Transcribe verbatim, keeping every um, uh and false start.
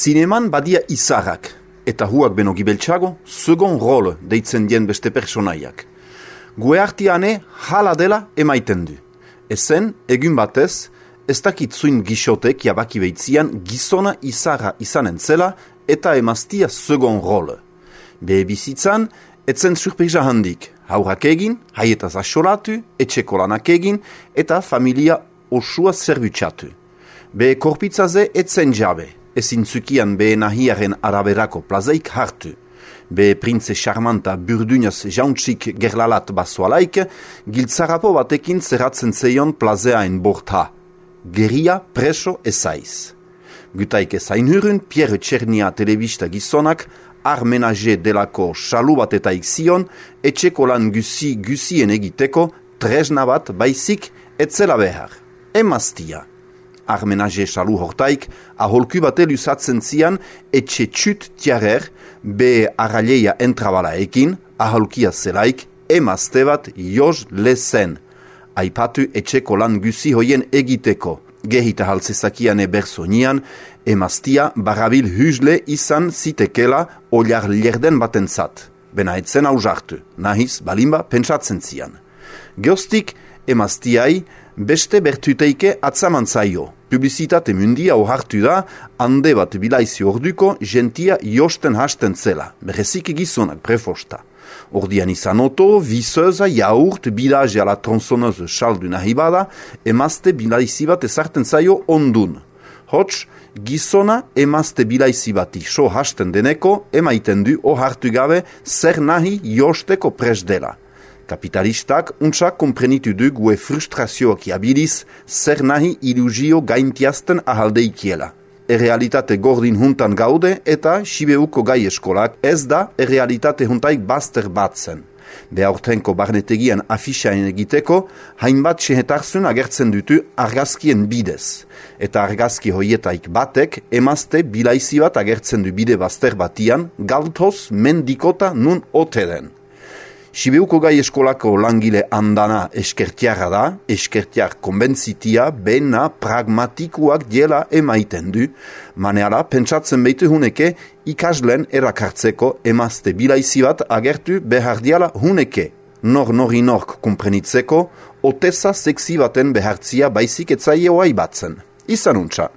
Zineman badia izarrak, eta huak beno gibeltxago, segon rol deitzen dien beste personaiak. Gue artiane hala dela emaiten du. Ezen, egun batez, ez dakitzuin gixotek jabaki beitzian gizona izarra izanen zela eta emaztia segon rol. Behe bizitzan, etzen surpresa handik, haurrak egin, haietaz asolatu, etxeko lanak egin, eta familia osua zerbutsatu. Behe korpitzaze etzen jabe, ezin zukian behe nahiaren araberako plazeik hartu. Behe printze charmanta burdunaz jauntxik gerlalat basoalaik, giltzarapo batekin zerratzen zeion plazeaen borta. Geria preso ezaiz. Gutaik ezain hurun, Pierre Txernia telebista gizonak, armenage delako salu bat eta ikzion, etxeko lan guzi guzien egiteko, tresna bat baizik etzela behar. Emaztia. Armenage salu hortaik, aholku bate lusatzen zian, etxe txut tiarer, be arraleia entrabala ekin, aholkia zelaik, emazte bat joz lezen. Aipatu etxeko lan guzi hoien egiteko. Gehita haltzezakiane bersonian, emaztia barabil hüzle izan zitekela oliar lerden batentzat. Bena etzen hausartu, nahiz balimba pentsatzen zian. Geostik, emaztiai beste bertuteike atzaman zaio. Publizitate mundia ohartu da, hande bat bilaizi orduko gentia josten hasten zela, berezik gizonak prefosta. Ordian izan oto, viseuza, jaurt, bilage ala tronsoneuse saldu nahi bada, emazte bilaizi bat ezarten zaio ondun. Hots, gizona emazte bilaizi bati so hasten deneko, emaiten du ohartu gabe zer nahi josteko pres dela. Kapitalistak untsak komprenitu du gue frustrazioak jabiliz zer nahi ilusio gaintiazten ahaldeikiela. Errealitate gordin juntan gaude eta Sibeuko gai eskolak ez da errealitate juntaik bazter batzen. Behaurtenko barnetegian afixain egiteko, hainbat sehetarzun agertzen dutu argazkien bidez. Eta argazki hoietaik batek emazte bilaizi bat agertzen du bide bazter batian, galtoz mendikota nun ote den. Sibeuko gai eskolako langile andana eskertiara da, eskertiar konbentzitia, bena pragmatikuak diela emaiten du, maneala pentsatzen behitu huneke ikaslen erakartzeko emazte bilaizi bat agertu behar diala huneke. Nor nori nork kumprenitzeko, oteza seksi baten behartzia baizik etzaio aibatzen. Izan untsa.